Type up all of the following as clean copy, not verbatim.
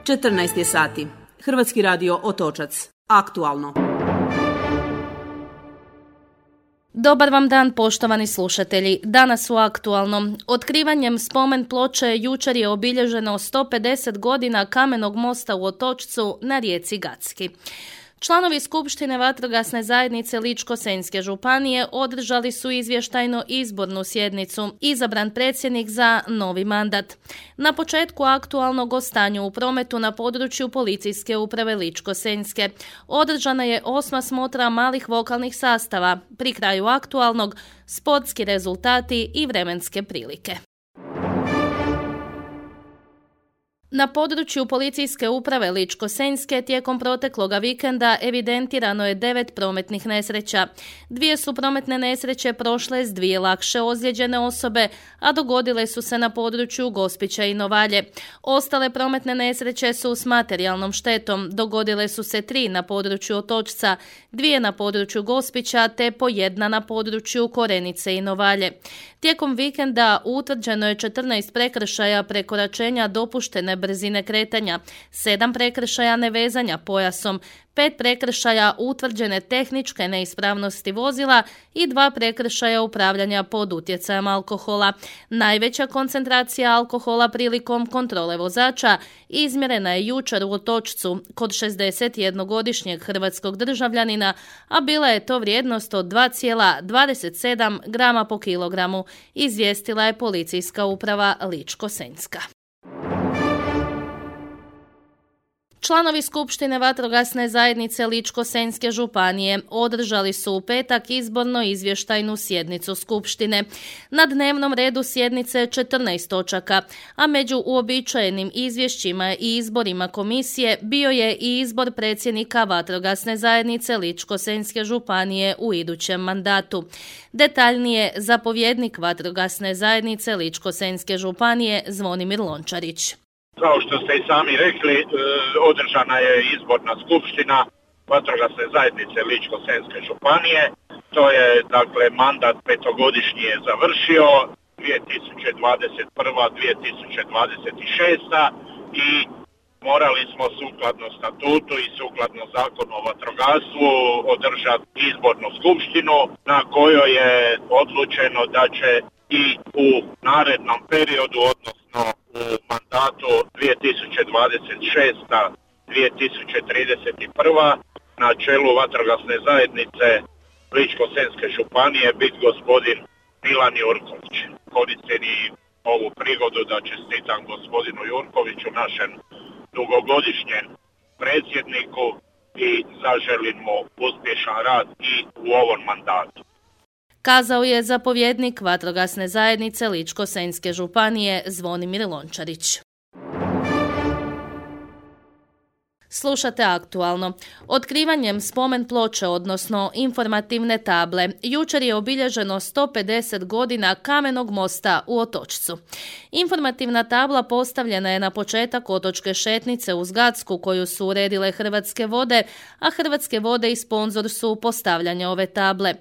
14 je sati. Hrvatski radio Otočac. Aktualno. Dobar vam dan, poštovani slušatelji. Danas u Aktualnom. Otkrivanjem spomen ploče jučer je obilježeno 150 godina kamenog mosta u Otočcu na rijeci Gacki. Članovi Skupštine vatrogasne zajednice Ličko-senjske županije održali su izvještajno izbornu sjednicu, izabran predsjednik za novi mandat. Na početku Aktualnog o stanju u prometu na području policijske uprave Ličko-senjske održana je 8. smotra malih vokalnih sastava, pri kraju Aktualnog sportski rezultati i vremenske prilike. Na području policijske uprave Ličko-senjske tijekom protekloga vikenda evidentirano je 9 prometnih nesreća. 2 su prometne nesreće prošle s 2 lakše ozlijeđene osobe, a dogodile su se na području Gospića i Novalje. Ostale prometne nesreće su s materijalnom štetom. Dogodile su se 3 na području Otočca, 2 na području Gospića te po 1 na području Korenice i Novalje. Tijekom vikenda utvrđeno je 14 prekršaja prekoračenja dopuštene brzine kretanja, 7 prekršaja nevezanja pojasom, 5 prekršaja utvrđene tehničke neispravnosti vozila i 2 prekršaja upravljanja pod utjecajem alkohola. Najveća koncentracija alkohola prilikom kontrole vozača izmjerena je jučer u Otočcu kod 61-godišnjeg hrvatskog državljanina, a bila je to vrijednost od 2,27 grama po kilogramu, izvijestila je policijska uprava Ličko-senjska. Članovi Skupštine vatrogasne zajednice Ličko-senjske županije održali su u petak izborno izvještajnu sjednicu Skupštine. Na dnevnom redu sjednice 14 točaka, a među uobičajenim izvješćima i izborima komisije bio je i izbor predsjednika vatrogasne zajednice Ličko-senjske županije u idućem mandatu. Detaljnije, zapovjednik vatrogasne zajednice Ličko-senjske županije Zvonimir Lončarić. Kao što ste i sami rekli, održana je izborna skupština vatrogasne zajednice Ličko-senjske županije. To je, mandat petogodišnji je završio, 2021-2026 i morali smo sukladno statutu i sukladno zakonu o vatrogastvu održati izbornu skupštinu na kojoj je odlučeno da će i u narednom periodu, odnosno u mandatu 2026-2031 na čelu vatrogasne zajednice Ličko-senjske županije biti gospodin Milan Jurković. Koristim i ovu prigodu da čestitam gospodinu Jurkoviću, našem dugogodišnjem predsjedniku, i zaželim mu uspješan rad i u ovom mandatu. Kazao je zapovjednik vatrogasne zajednice Ličko-senjske županije Zvonimir Lončarić. Slušate Aktualno. Otkrivanjem spomen ploče, odnosno informativne table, jučer je obilježeno 150 godina kamenog mosta u Otočcu. Informativna tabla postavljena je na početak otočke šetnice uz Gacku koju su uredile Hrvatske vode, a Hrvatske vode i sponzor su postavljanja ove table.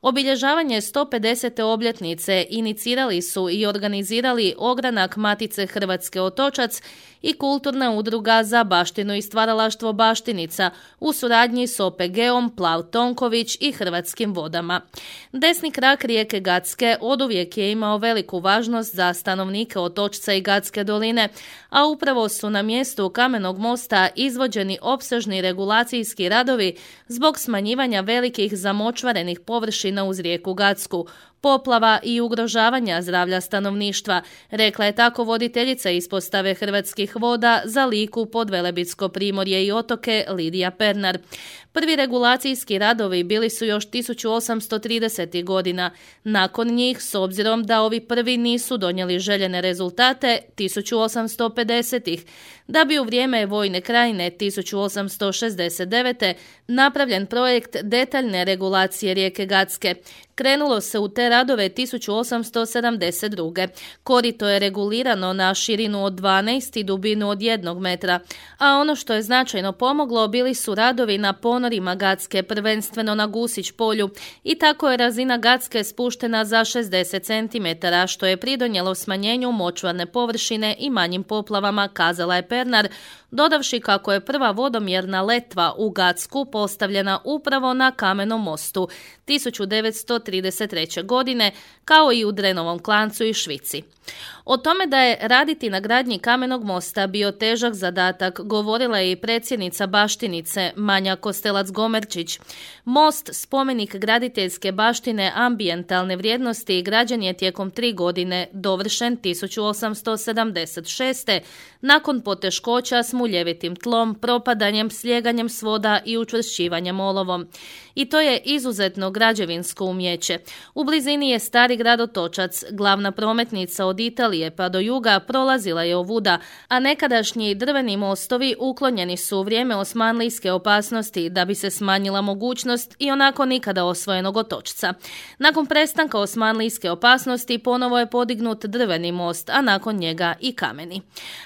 Obilježavanje 150. obljetnice inicirali su i organizirali ogranak Matice Hrvatske Otočac i kulturna udruga za baštinu i stvaralaštvo Baštica u suradnji s OPG-om Plav Tonković i Hrvatskim vodama. Desni krak rijeke Gacke oduvijek je imao veliku važnost za stanovnike Otočca i Gacke doline, a upravo su na mjestu kamenog mosta izvođeni opsežni regulacijski radovi zbog smanjivanja velikih zamočvarenih površina uz rijeku Gacku, poplava i ugrožavanja zdravlja stanovništva, rekla je tako voditeljica ispostave Hrvatskih voda za Liku, Podvelebitsko primorje i otoke Lidija Pernar. Prvi regulacijski radovi bili su još 1830. godina. Nakon njih, s obzirom da ovi prvi nisu donijeli željene rezultate, 1850. Da bi u vrijeme vojne krajine 1869. napravljen projekt detaljne regulacije rijeke Gacke. Krenulo se u te radove 1872. Korito je regulirano na širinu od 12 i dubinu od 1 metra, a ono što je značajno pomoglo bili su radovi na ponorima Gacke, prvenstveno na Gusić polju, i tako je razina Gacke spuštena za 60 cm, što je pridonijelo smanjenju močvarne površine i manjim poplavama, kazala je Pernar, dodavši kako je prva vodomjerna letva u Gacku postavljena upravo na Kamenom mostu 1933. godine, kao i u Drenovom Klancu i Švici. O tome da je raditi na gradnji Kamenog mosta bio težak zadatak govorila je i predsjednica Baštinice Manja Kostelac-Gomerčić. Most, spomenik graditeljske baštine ambijentalne vrijednosti, građen je tijekom 3 godine, dovršen 1876. nakon poteškoća s muljevitim tlom, propadanjem, slijeganjem svoda i učvršćivanjem olovom. I to je izuzetno građevinsko umjeće. U blizini je stari grad Otočac, glavna prometnica od Italije pa do juga prolazila je ovuda, a nekadašnji drveni mostovi uklonjeni su u vrijeme osmanlijske opasnosti da bi se smanjila mogućnost i onako nikada osvojenog Otočca. Nakon prestanka osmanlijske opasnosti ponovo je podignut drveni most, a nakon njega i kameni.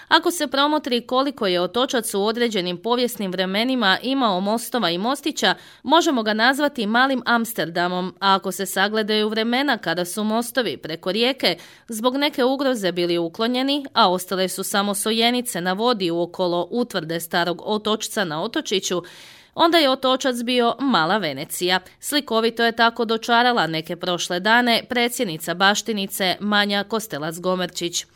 Ako se promotri koliko je Otočac u određenim povijesnim vremenima imao mostova i mostića, možemo ga nazvati malim Amsterdamom, a ako se sagledaju vremena kada su mostovi preko rijeke zbog neke ugroze bili uklonjeni, a ostale su samo sojenice na vodi uokolo utvrde starog Otočca na Otočiću, onda je Otočac bio mala Venecija. Slikovito je tako dočarala neke prošle dane predsjednica Baštinice Manja Kostelac-Gomerčić.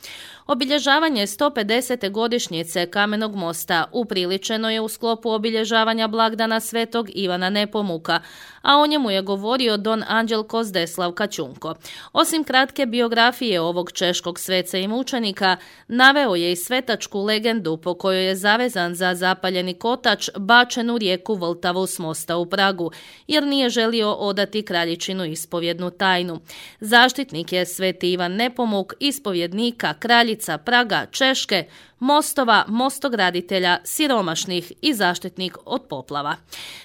Obilježavanje 150. godišnjice Kamenog mosta upriličeno je u sklopu obilježavanja blagdana Svetog Ivana Nepomuka, a o njemu je govorio don Anđelko Zdeslav Kačunko. Osim kratke biografije ovog češkog sveca i mučenika, naveo je i svetačku legendu po kojoj je zavezan za zapaljeni kotač bačen u rijeku Vltavu s mosta u Pragu, jer nije želio odati kraljičinu ispovjednu tajnu. Zaštitnik je Sveti Ivan Nepomuk, ispovjednika, kraljica Praga, Češke, mostova, mostograditelja, siromašnih i zaštitnik od poplava.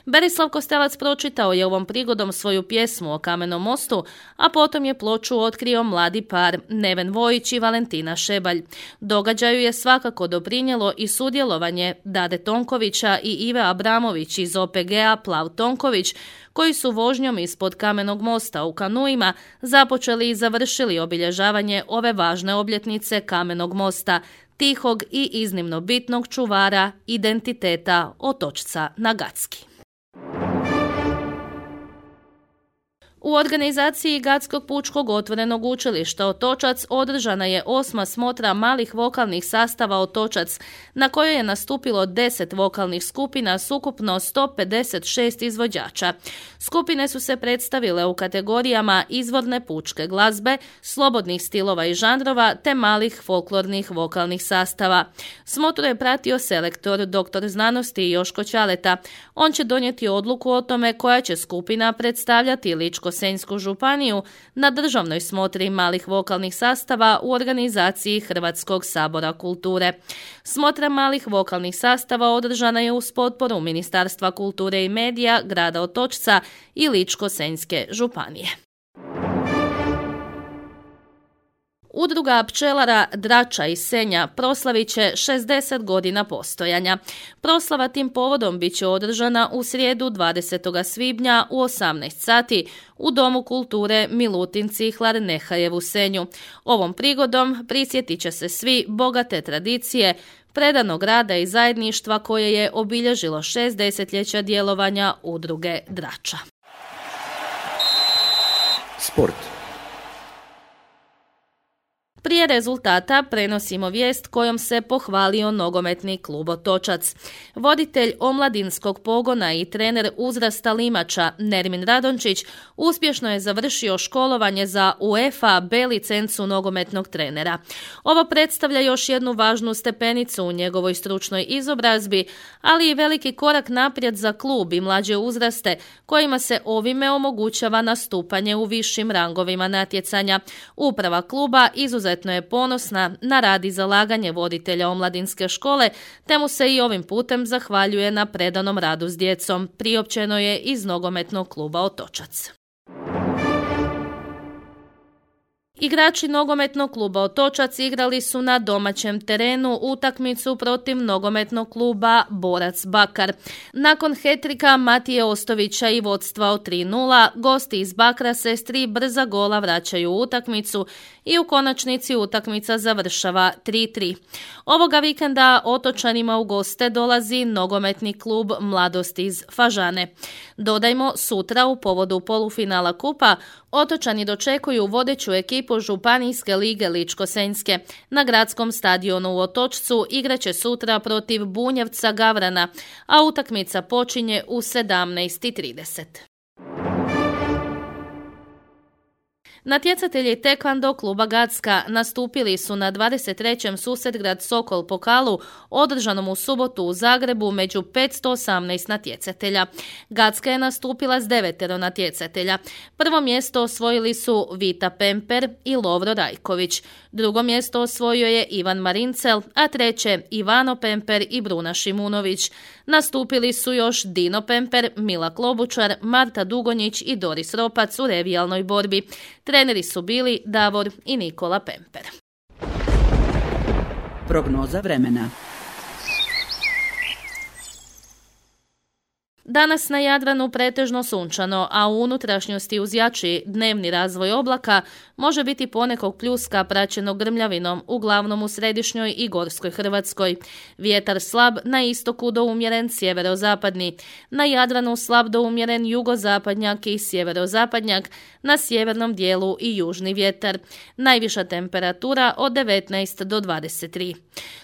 Berislav Kostelac pročitao je ovom prigodom svoju pjesmu o Kamenom mostu, a potom je ploču otkrio mladi par Neven Vojić i Valentina Šebalj. Događaju je svakako doprinijelo i sudjelovanje Dade Tonkovića i Ive Abramović iz OPG-a Plav Tonković, koji su vožnjom ispod Kamenog mosta u kanuima započeli i završili obilježavanje ove važne obljetnice Kamenog mosta, tihog i iznimno bitnog čuvara identiteta Otočca na Gacki. U organizaciji Gatskog pučkog otvorenog učilišta Otočac održana je 8. smotra malih vokalnih sastava Otočac, na kojoj je nastupilo 10 vokalnih skupina s ukupno 156 izvođača. Skupine su se predstavile u kategorijama izvorne pučke glazbe, slobodnih stilova i žanrova te malih folklornih vokalnih sastava. Smotru je pratio selektor dr. znanosti Joško Ćaleta. On će donijeti odluku o tome koja će skupina predstavljati Ličko-senjsku županiju na državnoj smotri malih vokalnih sastava u organizaciji Hrvatskog sabora kulture. Smotra malih vokalnih sastava održana je uz potporu Ministarstva kulture i medija, grada Otočca i Ličko-senjske županije. Udruga pčelara Drača iz Senja proslavit će 60 godina postojanja. Proslava tim povodom bit će održana u srijedu 20. svibnja u 18 sati u Domu kulture Milutin Cihlar Nehajev u Senju. Ovom prigodom prisjetit će se svi bogate tradicije, predanog rada i zajedništva koje je obilježilo 6 desetljeća djelovanja udruge Drača. Sport. Prije rezultata prenosimo vijest kojom se pohvalio nogometni klub Otočac. Voditelj omladinskog pogona i trener uzrasta limača Nermin Radončić uspješno je završio školovanje za UEFA B licencu nogometnog trenera. Ovo predstavlja još jednu važnu stepenicu u njegovoj stručnoj izobrazbi, ali i veliki korak naprijed za klub i mlađe uzraste kojima se ovime omogućava nastupanje u višim rangovima natjecanja. Uprava kluba izuzetno je ponosna na rad i zalaganje voditelja omladinske škole, te mu se i ovim putem zahvaljuje na predanom radu s djecom, priopćeno je iz nogometnog kluba Otočac. Igrači nogometnog kluba Otočac igrali su na domaćem terenu utakmicu protiv nogometnog kluba Borac Bakar. Nakon hetrika Matije Ostovića i vodstva od 3:0, gosti iz Bakra se s 3 brza gola vraćaju u utakmicu i u konačnici utakmica završava 3:3. Ovoga vikenda Otočanima u goste dolazi nogometni klub Mladost iz Fažane. Dodajmo, sutra u povodu polufinala kupa Otočani dočekuju vodeću ekipu Županijske lige Ličko-senjske. Na gradskom stadionu u Otočcu igraće sutra protiv Bunjevca Gavrana, a utakmica počinje u 17:30. Natjecatelji tekvando kluba Gacka nastupili su na 23. Susjedgrad Sokol pokalu održanom u subotu u Zagrebu među 518 natjecatelja. Gacka je nastupila s 9 natjecatelja. Prvo mjesto osvojili su Vita Pemper i Lovro Rajković. Drugo mjesto osvojio je Ivan Marincel, a treće Ivano Pemper i Bruna Šimunović. Nastupili su još Dino Pemper, Mila Klobučar, Marta Dugonjić i Doris Ropac u revijalnoj borbi. Treneri su bili Davor i Nikola Pemper. Prognoza vremena. Danas na Jadranu pretežno sunčano, a u unutrašnjosti uz jači dnevni razvoj oblaka može biti ponekog pljuska praćenog grmljavinom, uglavnom u središnjoj i gorskoj Hrvatskoj. Vjetar slab, na istoku do umjeren sjeverozapadni. Na Jadranu slab do umjeren jugozapadnjak i sjeverozapadnjak, na sjevernom dijelu i južni vjetar. Najviša temperatura od 19 do 23.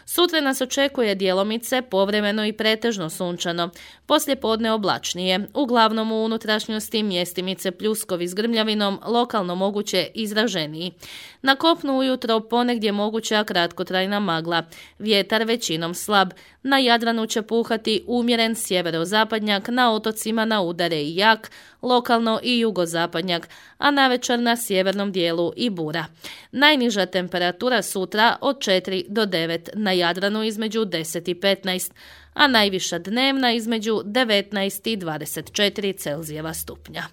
Sutra nas očekuje djelomice, povremeno i pretežno sunčano. Poslijepodne oblačnije, uglavnom u unutrašnjosti mjestimice pljuskovi s grmljavinom, lokalno moguće izraženiji. Na kopnu ujutro ponegdje moguća kratkotrajna magla. Vjetar većinom slab. Na Jadranu će puhati umjeren sjeverozapadnjak, na otocima na udare i jak, lokalno i jugozapadnjak, a navečer na sjevernom dijelu i bura. Najniža temperatura sutra od 4 do 9, na Jadranu između 10 i 15, a najviša dnevna između 19 i 24 Celzijeva stupnja.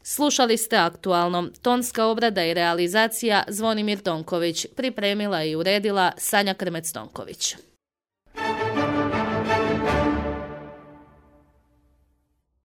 Slušali ste Aktualno. Tonska obrada i realizacija Zvonimir Tonković. Pripremila i uredila Sanja Krmec-Tonković.